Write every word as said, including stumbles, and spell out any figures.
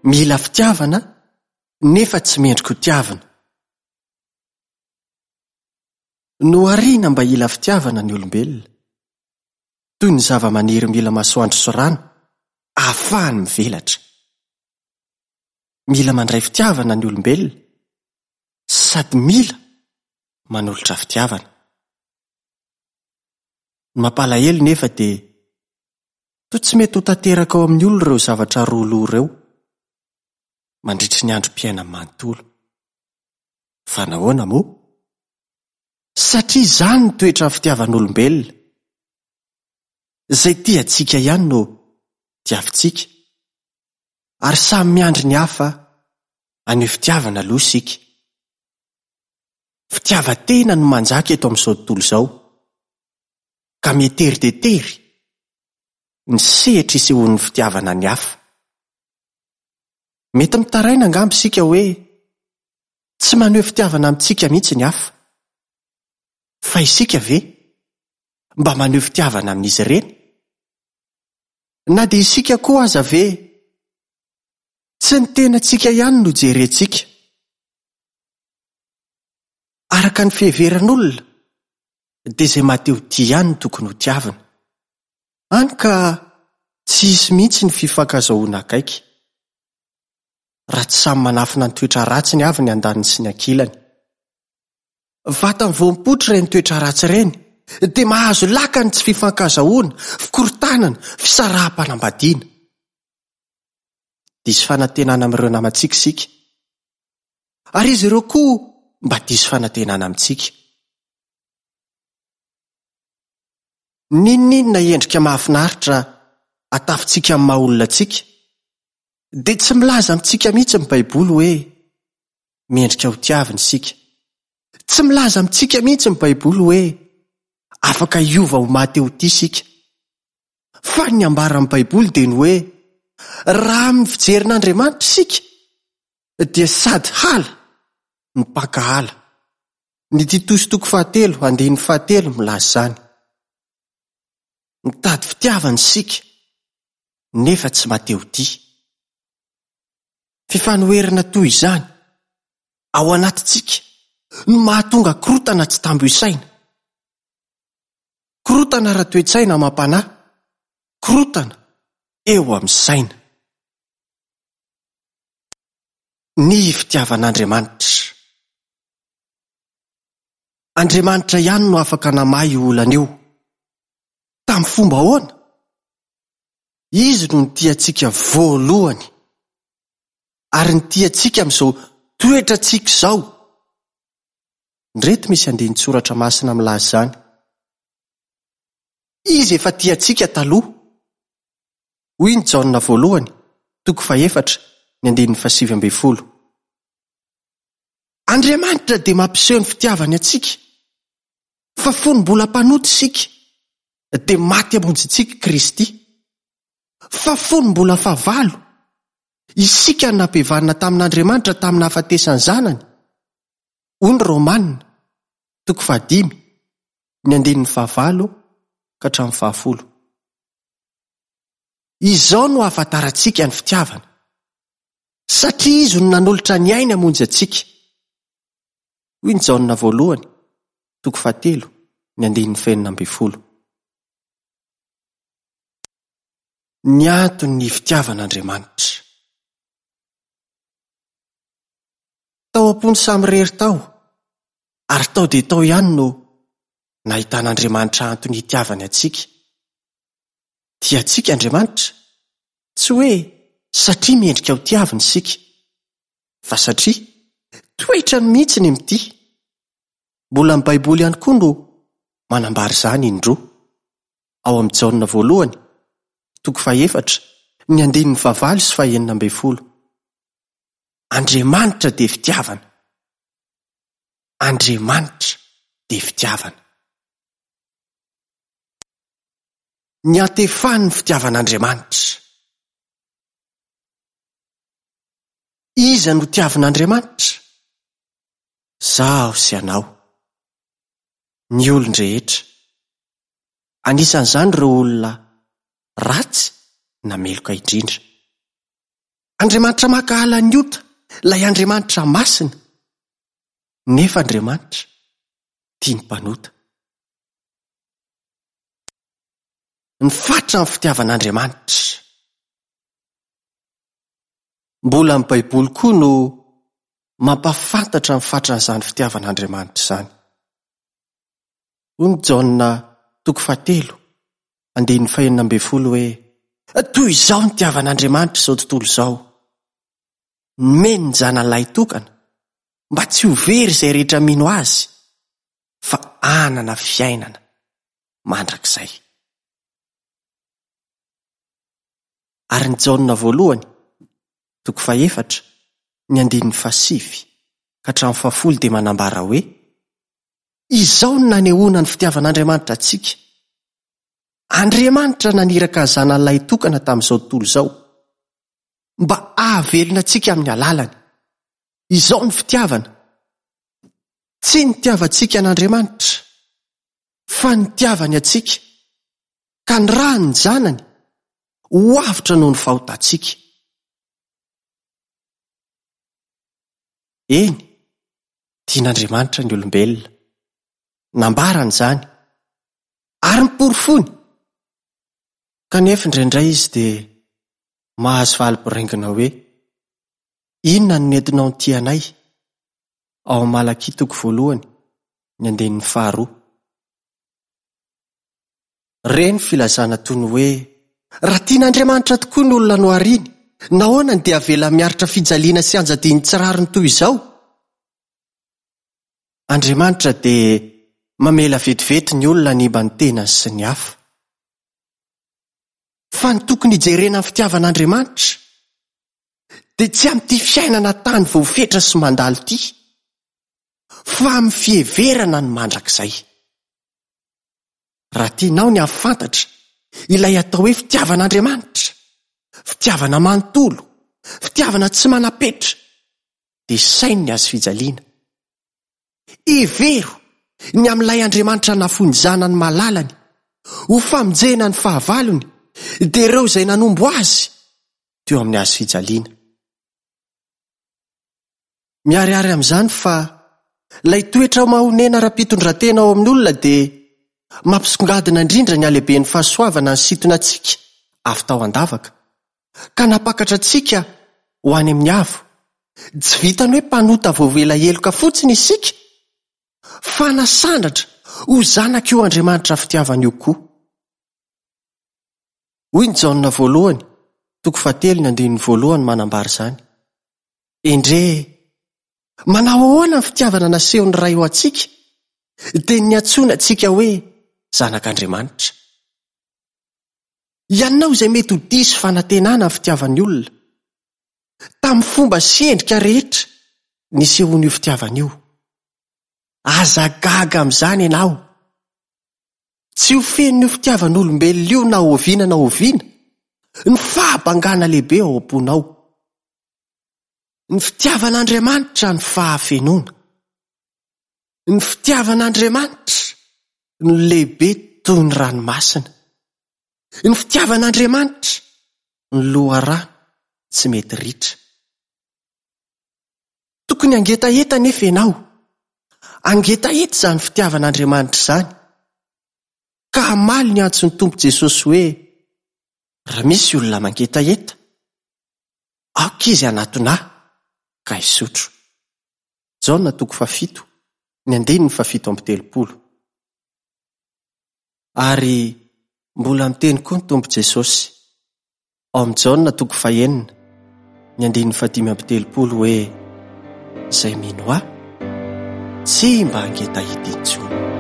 Mila fitiavana nefa tsy mendrika ho tiavina. Nohariana mba hila fitiavana ny olombelona, toy ny zava-maniry mila masoandro sy rano ahafahany mivelatra. Mila mandray fitiavana ny olombelona sady mila manolotra fitiavana. Ny mampalahelo nefa dia toa tsy mety ho tanteraka ao amin'ny olona ireo zavatra roa loha ireo mandritry ny androm-piainany manontolo. Fa nahoana moa? Satria izany ny toetra fitiavan'olombelona. Izay tia antsika ihany no tiavintsika, ary samy miandry ny hafa haneho fitiavana aloha isika. Fitiavan-tena no manjaka eto amin'izao tontolo izao, ka mietery dia tery ny sehatra isehoan'ny fitiavana ny hafa. Mety mitaraina angamba isika hoe tsy maneho fitiavana amintsika mihitsy ny hafa. Fa isika ve mba maneho fitiavana amin'izy ireny? Na dia isika koa aza ve tsy ny tenantsika ihany no jerentsika? Araka ny fiheveran'olona dia izay maha-te-ho tia ihany no tokony ho tiavina. Hany ka tsy hisy mihitsy ny fifankazahoana akaiky, raha tsy samy manafina ny toetra ratsiny avy ny andaniny sy ny ankilany. Vatany vao mipoitra ireny toetra ratsy ireny dia mahazo laka ny tsy fifankazahoana, fikorontanana, fisaraham-panambadiana. Diso fanantenana amin'ireo namantsika isika, ary izy ireo koa mba diso fanantenana amintsika. N'inon'inona endrika mahafinaritra atafintsika amin'ny maha olona antsika, dia tsy milaza amintsika mihitsy ny Baiboly hoe mendrika ho tiavina isika. Tsy milaza amintsika mihitsy ny Baiboly hoe afaka hiova ho maha-te-ho tia isika. Fa ny ambaran'ny Baiboly dia ny hoe raha amin'ny fijerin'Andriamanitra isika dia sady hala no mpankahala. Ny Titosy toko fahatelo andininy fahatelo milaza izany. Mitady fitiavana isika nefa tsy maha-te-ho tia. Fifanoherana toy izany ao anatintsika no mahatonga korontana tsy tambo isaina. Korontana ara-toe-tsaina amam-panahy, korontana eo amin'ny saina. Ny fitiavan'Andriamanitra. Andriamanitra ihany no afaka namaha io olana io. Tamin'ny fomba ahoana? Izy no nitia antsika voalohany, ary nitia antsika amin'izao toetrantsika izao. Indreto misy andinin-tsoratra masina milaza izany. Izy efa tia antsika taloha. Hoy ny Jaona voalohany, toko fahefatra, ny andininy fahasivy ambin'ny folo. Andriamanitra dia mampiseho ny fitiavany antsika, fa fony mbola mpanota isika, dia maty hamonjy antsika Kristy. Fa fony mbola fahavalo, isika no nampihavanina tamin'Andriamanitra tamin'ny nahafatesan'ny Zanany. Hoy ny Romana, toko fahadimy, ny andininy fahavalo ka hatramin'ny fahafolo. Izao no ahafantarantsika ny fitiavana, satria Izy no nanolotra ny ainy hamonjy antsika. Hoy ny Jaona voalohany, toko fahatelo, ny andininy fahenina ambin'ny folo. Ny anton'ny fitiavan'Andriamanitra. Tao am-pony samirery tao, ary tao dia tao ihany no nahitan'Andriamanitra antony hitiavany antsika. Tia antsika Andriamanitra, tsy hoe satria mendrika ho tiavina isika, fa satria toetrany mihitsy ny mitia. Mbola ny Baiboly ihany koa no manambara izany indroa. Ao amin'ny Jaona voalohany, toko fahefatra, ny andininy fahavalo sy fahenina ambin'ny folo. Andriamanitra dia fitiavana. Andriamanitra dia fitiavana. Ny antefan'ny fitiavan'Andriamanitra. Iza no tiavin'Andriamanitra? Zaho sy ianao. Ny olon-drehetra. Anisan'izany ireo olona ratsy na meloka indrindra. Andriamanitra mankahala ny ota, ilay Andriamanitra masina. Nefa Andriamanitra tia ny mpanota. Ny fatra ny fitiavan'Andriamanitra. Mbola ny Baiboly koa no mampafantatra ny fatran'izany fitiavan'Andriamanitra izany. Hoy ny Jaona toko fahatelo, andininy fahenina ambin'ny folo hoe: toy izao ny nitiavan'Andriamanitra izao tontolo izao. Nomeny ny zanany lahy tokana mba tsy ho very izay rehetra mino azy, fa hanana fiainana mandrakizay. Ary ny Jaona voalohany, toko fahefatra, ny andininy fahasivy ka hatramin'ny fahafolo dia manambara hoe: izao no nanehoana ny fitiavan'Andriamanitra antsika. Andriamanitra naniraka zanany lahy tokana tamin'izao tontolo izao mba hahavelona antsika amin'ny alalany. Izao ny fitiavana. Tsy nitiavantsika an'Andriamanitra, fa nitiavany antsika, ka nirahany ny zanany ho avotra noho ny fahotantsika. Eny, tian'Andriamanitra ny olombelona. Nambarany izany, ary niporofoiny. Kanefa indraindray izy dia mahazo valy boraingina hoe: inona no nentinao nitia anay? Ao amin'ny Malakia toko voalohany, ny andininy faharoa. Re ny filazana toy ny hoe: raha tian'Andriamanitra tokoa ny olona nohariny, nahoana no dia avela miaritra fijaliana sy anjadiany tsy rariny toy izao? Andriamanitra dia mamela vetivety ny olona hanimba ny tenany sy ny hafa. Fa ny tokony hijerena ny fitiavan'Andriamanitra dia tsy amin'ity fiainana tany voafetra sy mandalo ity, fa amin'ny fiheverana ny mandrakizay. Raha tianao ny hahafantatra ilay atao hoe fitiavan'Andriamanitra, fitiavana manontolo, fitiavana tsy manam-petra, dia saino ny hazo fijaliana. Hevero ny amin'ilay Andriamanitra nafoy ny zanany malalany ho famonjena ny fahavalony, dia ireo izay nanombo azy teo amin'ny hazo fijaliana. Miharihary amin'izany fa ilay toetra mahonena ara-pitondran-tena ao amin'ny olona dia mampisongadina indrindra ny halehiben'ny fahasoavana nisintona antsika avy tao an-davaka, ka nampakatra antsika ho any amin'ny avo. Tsy vitany hoe mpanota voavela heloka fotsiny isika, fa nasandratra ho zanak'io Andriamanitra fitiavana io koa. Hoy ny Jaona voalohany, toko fahatelo ny andininy voalohany manambara izany. Endrey, manao ahoana ny fitiavana nasehon'ny Ray ho antsika, dia niantsoana antsika hoe zanak'Andriamanitra. Ianao izay mety ho diso fanantenana ny fitiavan'ny olona, tamin'ny fomba sy endrika rehetra nisehoan'io fitiavana io. Aza gaga amin'izany ianao. Tsy ho fenon'io fitiavan'olombelona io na oviana na oviana ny fahabangana lehibe ao am-ponao. Ny fitiavan'Andriamanitra ny fahafenoana. Ny fitiavan'Andriamanitra no lehibe toy ny ranomasina. Ny fitiavan'Andriamanitra ny loharano tsy mety ritra. Tokony hangetaheta nefa ianao. Hangetaheta izany fitiavan'Andriamanitra izany, ka hamaly ny antson'ny Tompo Jesosy hoe: raha misy olona mangetaheta, aoka izy hanatona ahy ka hisotro. Jaona toko fahafito, ny andininy fahafito amby telopolo. Ary mbola miteny koa ny Tompo Jesosy ao amin'ny Jaona toko fahenina, ny andininy fahadimy amby telopolo hoe: izay mino ahy tsy mba hangetaheta intsony.